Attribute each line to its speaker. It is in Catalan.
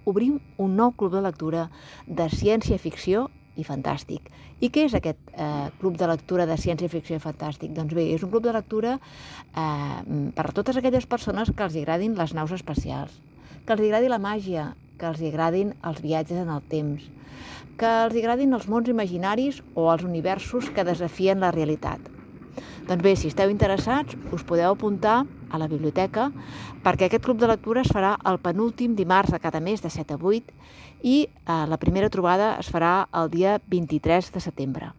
Speaker 1: obrim un nou club de lectura de ciència-ficció i fantàstic. I què és aquest club de lectura de ciència-ficció i fantàstic? Doncs bé, és un club de lectura per a totes aquelles persones que els agradin les naus espacials, que els agradi la màgia, que els agradin els viatges en el temps, que els agradin els mons imaginaris o els universos que desafien la realitat. Doncs bé, si esteu interessats, us podeu apuntar a la biblioteca perquè aquest club de lectura es farà el penúltim dimarts de cada mes de 7 a 8 i la primera trobada es farà el dia 23 de setembre.